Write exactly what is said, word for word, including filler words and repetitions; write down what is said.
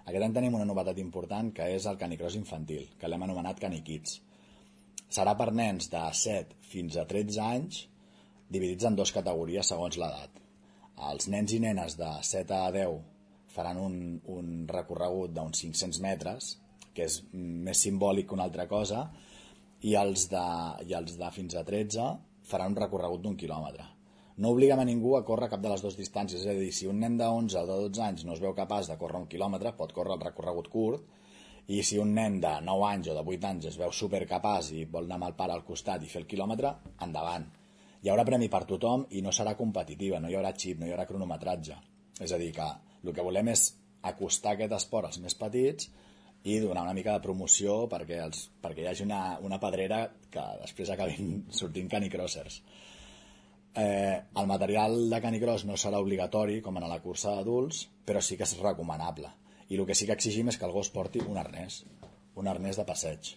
Aquest any tenim una novetat important, que és el canicross infantil, que l'hem anomenat Canikids. Serà per nens de set fins a tretze anys, dividits en dues categories segons l'edat. Els nens i nenes de set a deu faran un, un recorregut d'uns cinc-cents metres, que és més simbòlic que una altra cosa, i els de, i els de fins a tretze faran un recorregut d'un quilòmetre. No obliguem a ningú a córrer cap de les dues distàncies, és a dir, si un nen d'onze o de dotze anys no es veu capaç de córrer un quilòmetre, pot córrer el recorregut curt, i si un nen de nou anys o de vuit anys es veu supercapaç i vol anar amb el pare al costat i fer el quilòmetre, endavant. Hi haurà premi per tothom i no serà competitiva, no hi haurà xip, no hi haurà cronometratge. És a dir, que el que volem és acostar aquest esport als més petits i donar una mica de promoció perquè, els, perquè hi hagi una, una pedrera que després acabin sortint canicrossers. Eh, el material de canicross no serà obligatori com en la cursa d'adults, però sí que és recomanable. I el que sí que exigim és que el gos porti un arnès, un arnès de passeig.